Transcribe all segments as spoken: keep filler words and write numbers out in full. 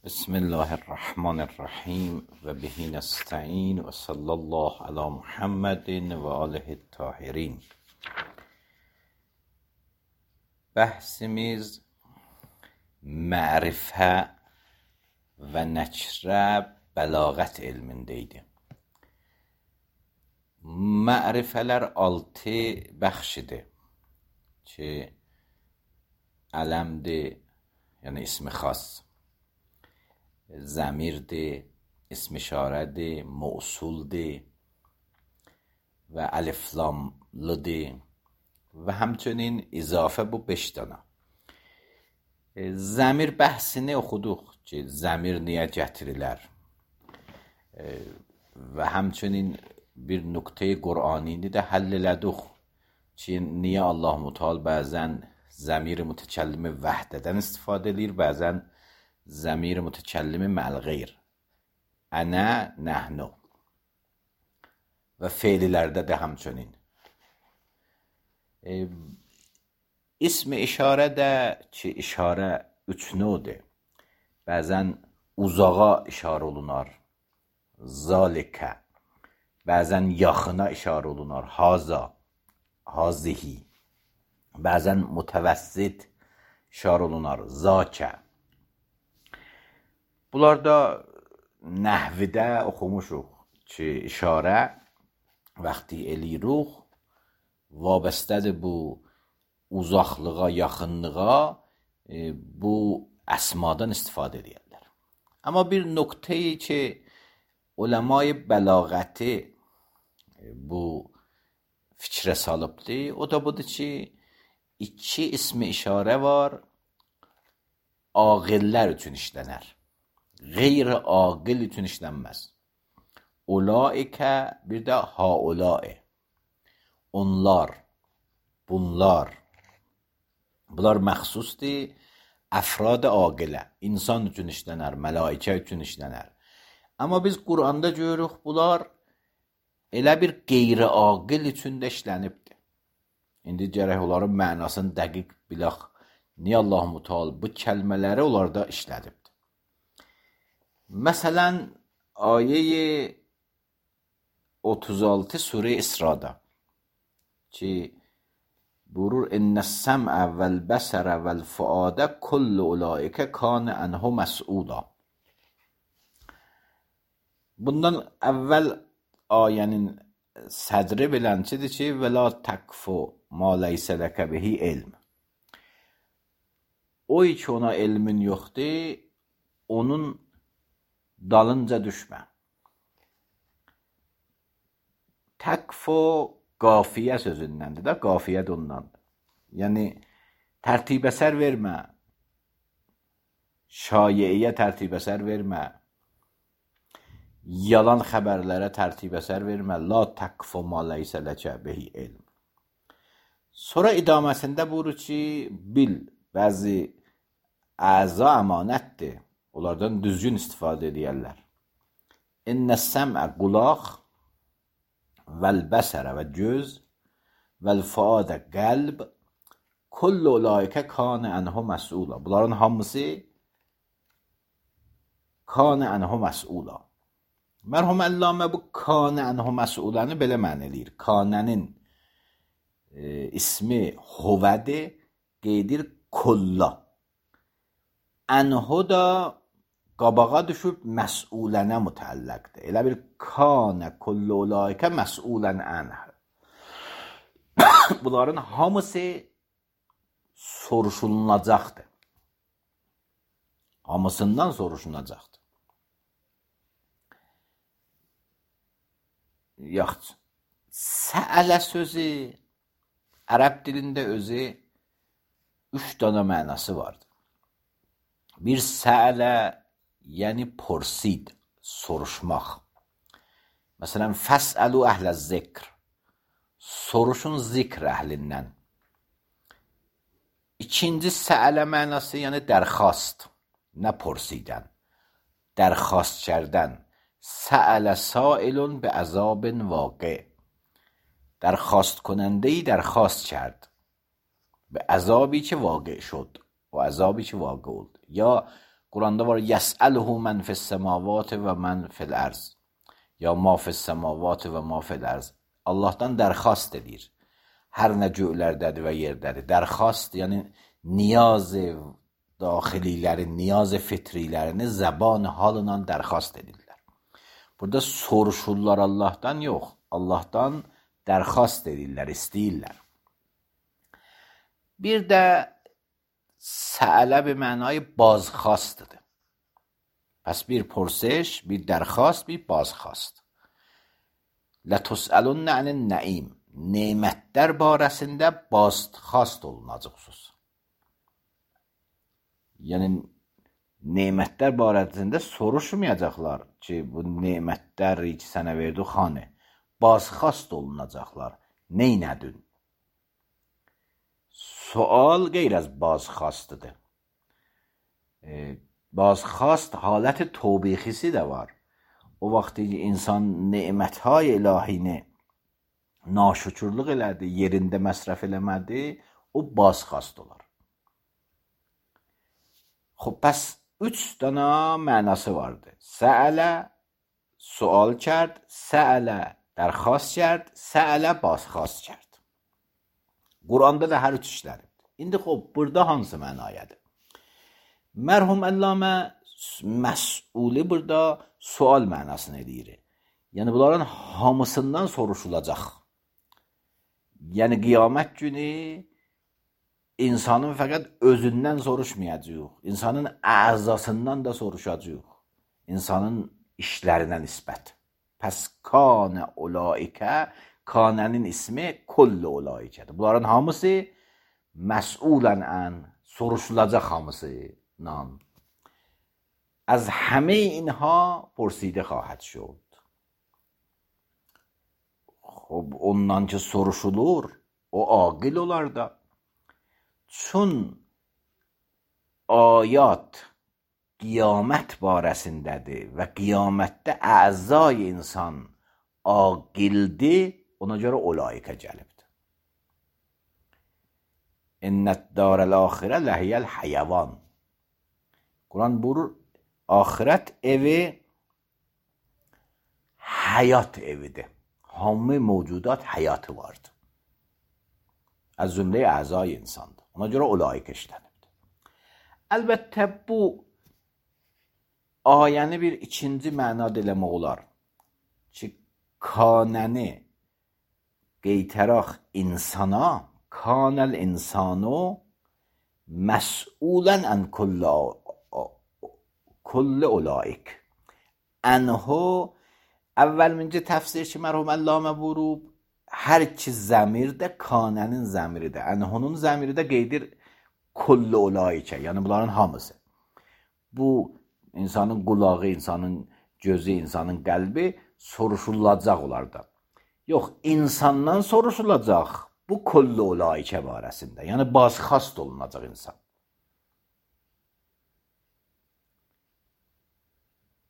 بسم الله الرحمن الرحیم و به نستعین و صلی الله علی محمد و آله الطاهرین. بحثimiz ma'rifə və nəçrə bəlağət elmindeydi. Ma'rifələr altı bəxşidir ki, ələmdir, yəni ismi xas, ضمیرdir, اسم اشارهdir, موصولdir və əliflamlıdır və həmçinin izafə bu beş dana. Zəmir bəhsini oxuduq ki, zəmir niyə gətirilər və həmçinin bir nöqtəyi Qur'anini də həll elədik ki, niyə Allah-u Teala bəzən zəmir mütəkəllimi vəhdədən istifadə edir, bəzən زمیر متکلم مع الغیر انا نحنو və fe'lilərdə də həmçinin. E, ismi işarə də ki, işarə üç növdür. Bəzən uzağa işarə olunar, zalikə. Bəzən yaxına işarə olunar, haza, hazihi. Bəzən mütəvəssit işarə olunar, zakə. Bunlarda nəhvidə oxumuşuq ki, işarə vaxtı eləyirik, vabəstədir bu uzaqlığa, yaxınlığa, e, bu əsmadan istifadə edirlər. Amma bir nöqtəyi ki, uləmay bəlağəti e, bu fikrə salıbdır, o da budur ki, iki ismi işarə var, aqillər üçün işlənər. Qeyri-aqil üçün işlənməz. Ulaikə, bir də haulai. Onlar, bunlar. Bunlar məxsusdur, əfrad aqilə. İnsan üçün işlənər, mələikə üçün işlənər. Amma biz Quranda görürük, bunlar elə bir qeyri-aqil üçün də işlənibdir. İndi gərək onların mənasını dəqiq bilək. Niyə Allah-u Teala bu kəlmələri onlarda işlədibdir? Məsələn, ayə otuz altı Surə İsra'da ki, buyurur, İnnəs-səm'ə vəl-bəsərə vəl-fuadə kullu ulaikə kanə ənhu məs'uda. Bundan əvvəl ayənin sədri bilənçidir ki, və la təkfu ma leysə ləkə bihi ilm. O ki, ona elmin yoxdur, onun dalınca düşmə. Təkfu qafiyə sözündəndir də, qafiyə də ondandır. Yəni, tərtib-əsər vermə, şayiəyə tərtib-əsər vermə, yalan xəbərlərə tərtib-əsər vermə, la təkfu ma leysə ləkə bihi ilm. Sonra idaməsində buyurur ki, bil, bəzi əza əmanətdir. Onlardan düzgün istifadə edərlər. İnnəs-səm'ə qulaq, vəl-bəsərə və göz, vəl-fuadə qəlb, kullu ulaikə kanə ənhu məs'ula. Bunların hamısı kanə ənhu məs'ula. Mərhum Əllamə bu kanə ənhu məs'ulanı belə mən eləyir. Kanənin e, ismi huvədir, qeydir kulla. Ənhu da qabağa düşüb məs'ulənə mütəlləqdir. Elə bir kanə kullu ulaikə məs'ulən ənh. Bunların hamısı soruşulunacaqdır. Hamısından soruşulunacaqdır. Yaxşı. Səələ sözü ərəb dilində özü üç dana mənası vardır. Bir səələ, yəni porsid, soruşmaq. Məsələn, fəsəlu əhlə zikr, soruşun zikr əhlindən. İkinci səələ mənası, yəni dərxast, nə porsidən, dərxast kərdən. Səələ sailun bi əzabin vaqi, dərxast کننده‌ای درخواست کرد به عذابی که واقع شد و عذابی که واقع oldu. یا Quranda var yəs'əluhu mən fis-səmavati və mən fil-ərz. Ya ma fis-səmavati və ma fil-ərz. Allahdan dərxast edir. Hər nə göylərdədir və yerdədir. Dərxast, yəni niyaz daxililəri, niyaz fitrilərini zəban halına dərxast edirlər. Burada soruşurlar Allahdan, yox. Allahdan dərxast edirlər, istəyirlər. Bir də səələ bir mənayı bazxastıdır. Pəs bir pursiş, bir dərxast, bir bazxast. Lətusəlunə ənin nəim. Nemətlər barəsində bazxast olunacaqsınız. Yəni, nemətlər barəsində soruşmayacaqlar ki, bu nemətlər ki, sənə verdi xanə. Bazxast olunacaqlar. Neynədün? Sual qeyr az bazxastıdır. E, bazxast haləti tobixisi də var. O vaxtı ki, insan neməthay ilahini naşükürlük elədi, yerində məsrəf eləmədi, o bazxast olar. Xob, bəs üç dana mənası vardı. Səələ sual kərd, səələ dərxast kərd, səələ bazxast kərd. Quranda da hər üç işlədir. İndi xob, burada hansı mənayədir? Mərhum Əllamə məs'uli burada sual mənasını edir. Yəni, bunların hamısından soruşulacaq. Yəni, qiyamət günü insanın fəqət özündən soruşmayacaq. İnsanın əzasından da soruşacaq. İnsanın işlərinə nisbət. Pəs kanə ulaikə, kanənin ismi kullu ulaikədir. Bunların hamısı məs'ulən ən, soruşulacaq hamısından. از همه اینها پرسیده خواهد شد. خب ondan ki soruşulur, o aqil olar da. Çün ayat qiyamət barəsindədir və qiyamətdə əzay insan aqildir, ona görə olaikə gəlibdir. İnnət darəl-axirə ləhiyəl həyəvan. Quran buyurur, axirət evi həyat evidir. Hamı mövcudat həyatı vardır. Az cümləyə əzay insandır. Ona görə olaik işlənibdir. Əlbəttə bu ayəni bir ikinci mənada eləmək olar ki, kanəni qeytəraq insana, kanəl insanu məs'ulən ən kullə kulli olaik. Ənhu əvvəlmincə təfsir ki, mərhum Əllamə buyurub, hər iki zəmir də kanənin zəmiridir. Ənhunun zəmiri də qeydir kulli olaikə, yəni bunların hamısı. Bu, insanın qulağı, insanın gözü, insanın qəlbi soruşulacaq olar da. Yox, insandan soruşulacaq bu kulli olaikə barəsində. Yəni, bazxast olunacaq insan.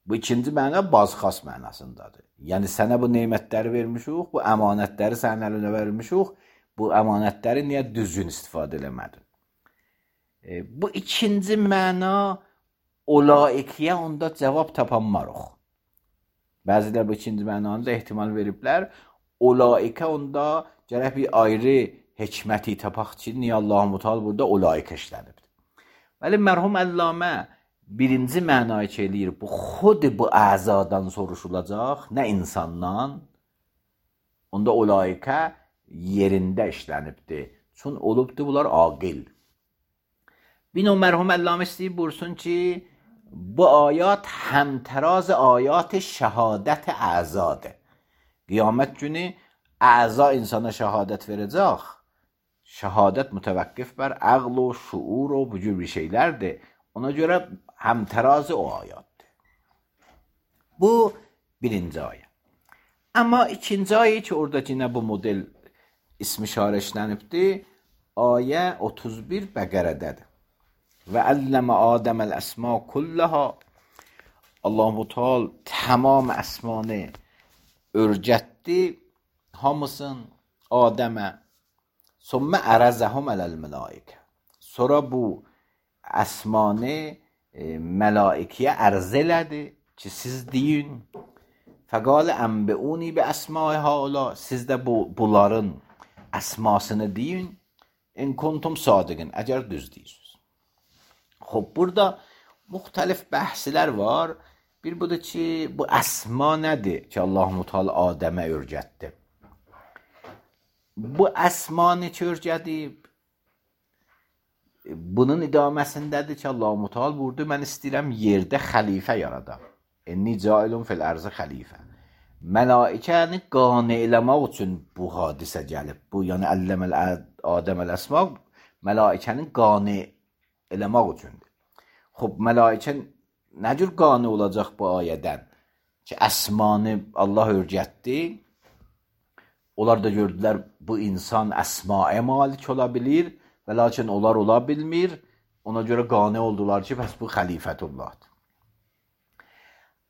Bu ikinci məna bazxast mənasındadır. Yəni, sənə bu neymətləri vermişik, bu əmanətləri sənin əlinə vermişik, bu əmanətləri niyə düzgün istifadə eləmədin? E, bu ikinci məna olaikiyə onda cavab tapanmarıq. Bəzilər bu ikinci mənanı da ehtimal veriblər. Olaikə onda gərək bir ayrı hikməti tapaq ki, niyə Allah-u Teala burada olaikə işlənibdir. Bəli, mərhum Əllamə birinci mənayı ki eləyir, bu xud bu əzadan soruşulacaq, nə insandan, onda olaikə yerində işlənibdir. Çün olubdur, bunlar aqil. Bir növ mərhum Əllamə istəyib buyursun ki, bu ayat həmtəraz ayat şəhadət əzadır. Qiyamət günü əza insana şəhadət verəcək. Şəhadət mütəvəqqif bər əql o, şuur o, bu cür bir şeylərdir. Ona görə həmtərazı o ayətdir. Bu birinci ayə. Amma ikinci ayə ki, oradakı nə bu model ismi şarə işlənibdir, ayə otuz bir Bəqərədədir. Və əlləmə Adəməl əsma kullaha. Allah-u Teala tamam əsmanı örgətdi, hamısın Adəmə. Sonra ərəzəhum ələl-mələikə. Sonra bu əsmanı e, mələikəyə ərz elədi ki, siz deyin. Fəqalə ənbiuni bi əsma'i haula, siz də bu, bunların əsmasını deyin. In kuntum sadiqin, əgər düz deyirsiniz. Xob, burada müxtəlif bəhslər var. Bir budur ki, bu əsma nədir ki, Allah-u Teala Adəmə öyrətdi? Bu əsma neçə öyrədib? Bunun idaməsindədir ki, Allah-u Teala buyurdu, mən istəyirəm yerdə xəlifə yaradam. İnni cailun fil ərzə xəlifə. Mələikəni qane eləmək üçün bu hadisə gəlib. Bu, yəni əlləməl Adəməl əsma mələikənin qane eləmək üçündür. Xob, mələikə nə cür qane olacaq bu ayədən? Ki, əsmanı Allah öyrətdi. Onlar da gördülər, bu insan əsmaya malik ola bilir və lakin onlar ola bilmir. Ona görə qane oldular ki, bəs bu xəlifətullahdır.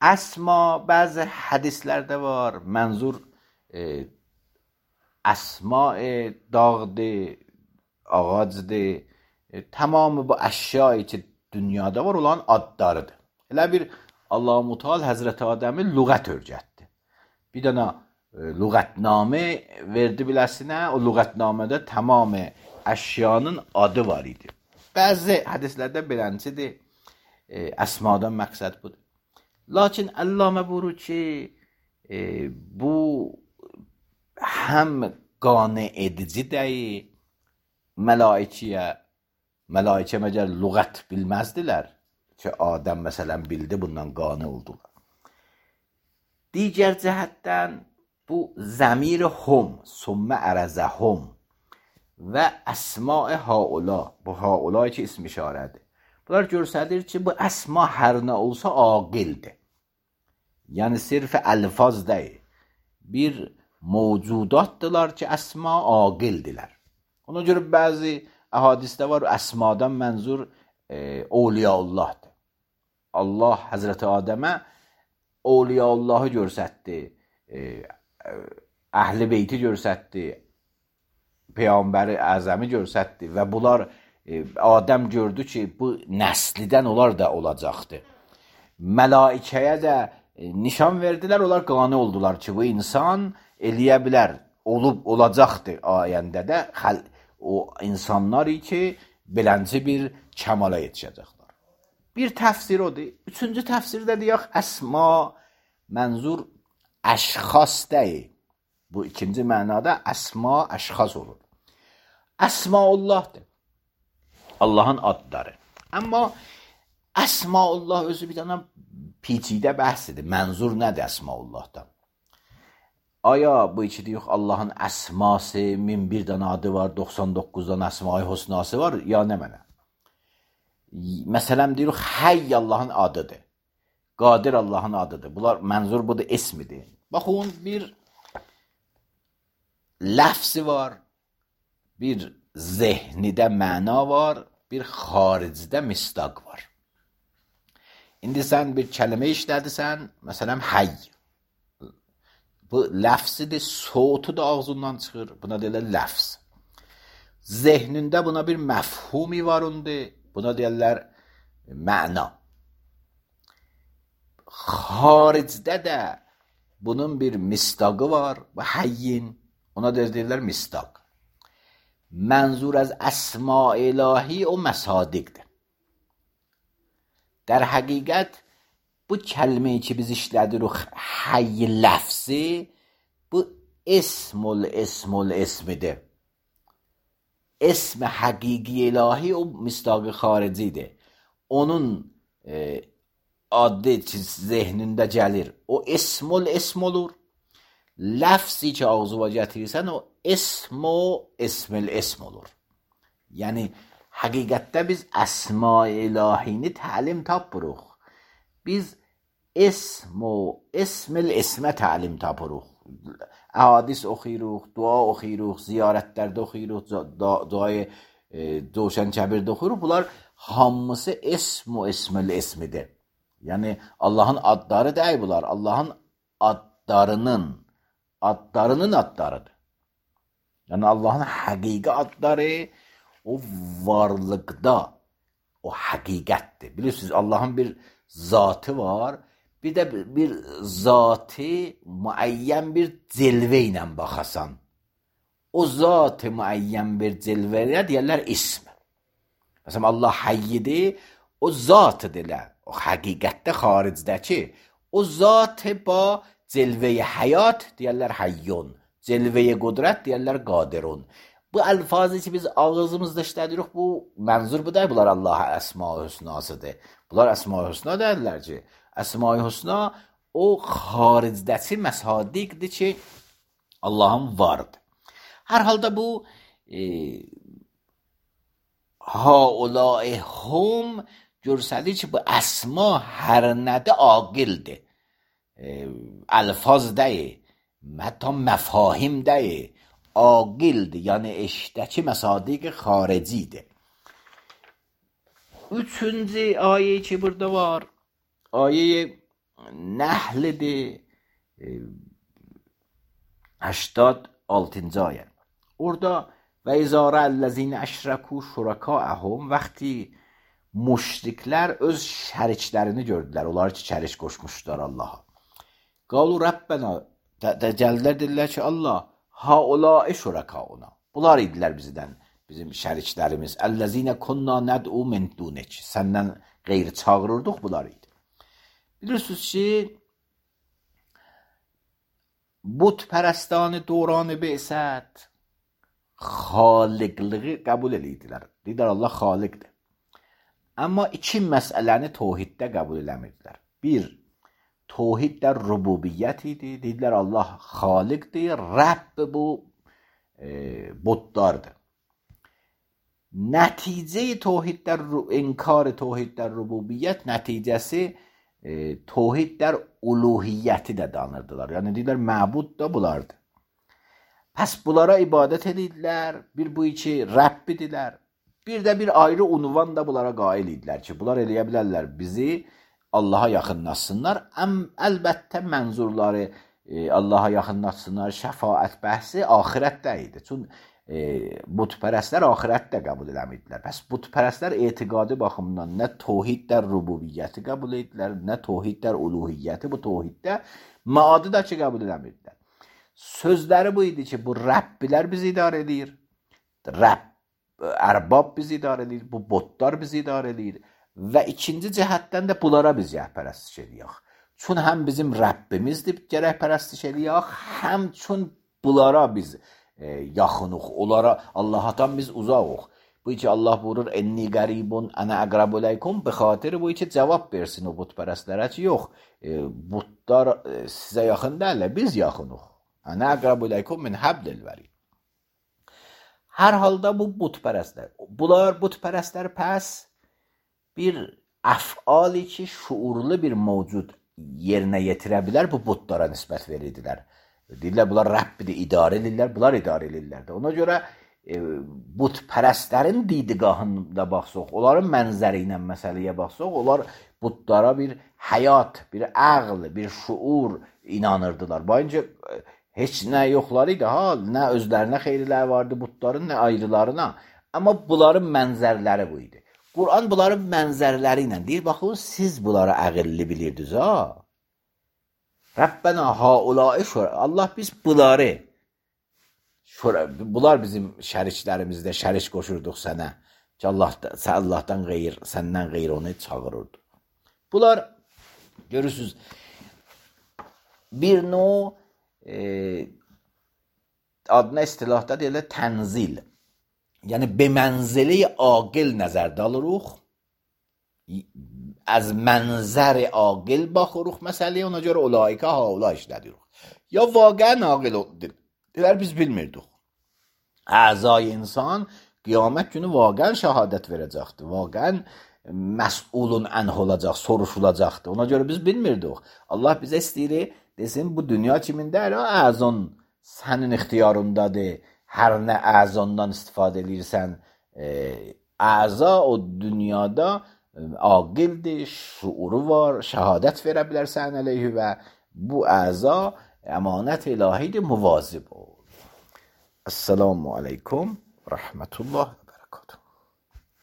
Əsma, bəzi hədislərdə var, mənzur e, əsma e, dağdır, ağacdır, e, tamamı bu əşyayı ki, dünyada var olan adlarıdır. Elə bir Allah-u Teala Həzrəti Adəmi lüğət öyrətdi. Bir dənə e, lüğətnamə verdi biləsinə, o lüğətnamədə tamamı əşyanın adı var idi. Bəzi hədislərdə beləncidir, e, əsmadan məqsəd budur. Lakin Əllamə buyurur ki, e, bu həm qane edici deyil, mələikəyə, mələikə məgər lüğət bilməzdilər ki, Adəm məsələn bildi, bundan qane oldular. Digər cəhətdən bu zəmir hum, sümmə ərəzə hum və əsma-i haula, bu haula ki, ism işarədir. Bunlar görsədir ki, bu əsma hər nə olsa aqildir. Yəni, sirf əlfaz deyil. Bir mövcudatdırlar ki, əsma aqildilər. Ona görə bəzi əhadisdə var, əsmadan mənzur e, Awliyaullahdır. Allah Həzrəti Adəmə Awliyaullahı görsətdi, e, Əhl-i Beyti görsətdi, Peyğəmbəri Əzəmi görsətdi və bunlar Adəm gördü ki, bu nəslidən onlar da olacaqdır. Mələikəyə də nişan verdilər, onlar qane oldular ki, bu insan eləyə bilər, olub olacaqdır ayəndə də o insanlar ki, belənci bir kəmala yetişəcəklər. Bir təfsir odur. Üçüncü təfsirdə deyək, əsma mənzur əşxas deyil. Bu ikinci mənada əsma əşxas olur. Əsmaullahdır. Allahın adları. Amma Əsmaullah özü bir dənə peçidə bəhsidir. Mənzur nədir Əsmaullahdan? Aya bu iki deyək, Allahın əsması, min bir dənə adı var, doxsan doqquzdan əsma-i husnası var, ya nə mənə? Məsələn deyək, Həy Allahın adıdır. Qadir Allahın adıdır. Bunlar mənzur budur, esmidir. Baxın, bir ləfsi var, bir zehnidə məna var, bir xaricdə mistaq var. İndi sən bir kəlmə işlədirsən, məsələn, həy. Bu ləfsidir, soğutu da ağzından çıxır. Buna deyirlər ləfs. Zehnində buna bir məfhumi var ondur. Buna deyirlər məna. Xaricdə də bunun bir mistaqı var. Bu həyyin. Ona deyirlər mistaq. Mənzur az əsma ilahi o məsadiqdir. در حقیقت bu kəlməyi ki biz işlədirik, həy ləfsi, bu esmul esmul esmidir. Esm həqiqi ilahi o mistaqı xaricidir. Onun e, adı ki zehnində gəlir, o esmul esm olur. Ləfsi ki ağzıva gətirirsən, o esmo esmil esm olur. Yəni, həqiqətdə biz əsma-i ilahini təlim tapırıq. Biz esmo, esmil esmə təlim tapırıq. Əhadis oxuyuruq, dua oxuyuruq, ziyarətlərdə oxuyuruq, duayı Coşan Kəbirdə oxuyuruq. Bunlar hamısı esmo, esmil esmidir. Yəni, Allahın adları deyil bunlar. Allahın adlarının, adlarının adlarıdır. Yəni, Allahın həqiqi adları o varlıqda o həqiqətdir. Bilirsiniz, Allahın bir zatı var, bir də bir zatı müəyyən bir cilvə ilə baxasan. O zatı müəyyən bir cilvəyə deyərlər ism. Məsələn, Allah hayyidir, o zatıdır elə. O həqiqətdə xaricdəki. O zatı ba cilvəyə həyat deyərlər hayyun. Cilvəyə qudrət deyərlər qadirun. Bu əlfazı ki biz ağzımızda işlədirik, bu mənzur bu da bunlar Allah'a əsma-i hüsnasıdır. Bunlar əsma-i hüsna deyirlər ki, əsma-i hüsna o xaricdəki məsadiqdir ki, Allahın vardır. Hər halda bu e, haulai hum görsəlir ki, bu əsma hər nədə aqildir. E, əlfaz deyil, hətta məfahim deyil. Aqildir, yəni eşdəki məsadiq xaricidir. Üçüncü ayə ki burada var, ayə Nəhlidir, هشتاد altıncı ayə. Orada və izarə əlləzinə əşrəku şurakaəhum, vəxti müşriklər öz şəriklərini gördülər, onlar ki şərik qoşmuşlar Allaha. Qalu Rəbbənə, gəldilər dedilər ki Allah, haulai şurakauna. Bunlar idilər bizdən, bizim şəriklərimiz. Əlləzinə kunna nəd'u min dunik. Səndən qeyri çağırırdıq, bunlar idi. Bilirsiniz ki, butpərəstanı döranı beysət xaliqliği qəbul edirdilər. Deyirlər Allah xaliqdir. Amma iki məsələni tohiddə qəbul eləmirdilər. Bir, tohiddə rububiyyət idi. Deyirlər Allah xaliqdir, Rəbb bu e, butlardır. Nəticə tohiddə, inkar tohiddə rububiyyət nəticəsi e, tohiddə uluhiyyəti də danırdılar. Yəni deyirlər məbud da bulardır. Pəs bunlara ibadət edirlər, bir bu iki Rəbbidirlər. Bir də bir ayrı unvan da bunlara qail idilər ki, bunlar eləyə bilərlər bizi Allaha yaxınlaşsınlar. Əm, əlbəttə mənzurları e, Allaha yaxınlaşsınlar, şəfaət bəhsi axirətdə idi. Çünki e, butpərəstlər axirətdə qəbul eləmirdilər. Pəs butpərəstlər etiqadi baxımından nə tohiddə rububiyyəti qəbul edirlər, nə tohiddə uluhiyyəti, bu tohiddə maadı da ki qəbul eləmirdilər. Sözləri bu idi ki, bu Rəbbilər bizi idarə edir, Rəbb, ərbab bizi idarə edir, bu botlar bizi idarə edir. Və ikinci cəhətdən də bunlara biz rəhpərəstlik eləyək. Çün həm bizim Rəbbimizdir, gərək pərəstlik eləyək, həm çün bunlara biz e, yaxınıq, onlara Allahdan biz uzaqıq. Bu ki Allah buyurur, enni qəribun, ənə əqrabuləykum, bi xatiri bu ki cavab versin o butpərəstlərə ki, yox, e, butlar e, sizə yaxın deyirlər, biz yaxınıq. Ənə əqrabuləykum min həblil vərid. Hər halda bu butpərəstlər. Bunlar butpərəstlər pəs bir əfali ki, şuurlu bir mövcud yerinə yetirə bilər, bu butlara nisbət verirdilər. Deyirlər, bunlar Rəbbidir, idarə edirlər, bunlar idarə edirlər. Ona görə e, butpərəstlərin didigahında baxsaq, onların mənzəri ilə məsələyə baxsaq, onlar butlara bir həyat, bir əql, bir şuur inanırdılar. Bayınca heç nə yoxları idi, ha, nə özlərinə xeyirlər vardı butların, nə ayrılarına. Amma bunların mənzərləri bu idi. Quran bunların mənzərləri ilə deyir, baxın, siz bunları əqilli bilirdiniz, ha? Rəbbənə haulai şura. Allah biz bunları, şura, bunlar bizim şəriklərimizdə şərik qoşurduq sənə. Ki Allah, Allahdan qeyr, səndən qeyr onu çağırırdı. Bunlar, görürsünüz, bir növ e, adına istilahda deyirlər tənzil. Yəni, bemənzili aqil nəzərdə alırıq, az mənzəri aqil baxırıq məsələyə, ona görə olaikə haula işlədirik. Ya vaqən aqil deyilər, biz bilmirdik. Əzai insan qiyamət günü vaqən şəhadət verəcəkdir, vaqən məsulun ənh olacaq, soruşulacaqdır. Ona görə biz bilmirdik. Allah bizə istəyir, desin, bu dünya kimindədir, əzon sənin ixtiyarındadır. Hər nə əzondan istifadə edirsən, e, əza o dünyada e, aqildir, şuuru var, şəhadət verə bilərsən əleyhi və bu əza əmanət ilahidir, muvazib ol. Esselamu aleykum, rəhmətullah və bərəkatuhu.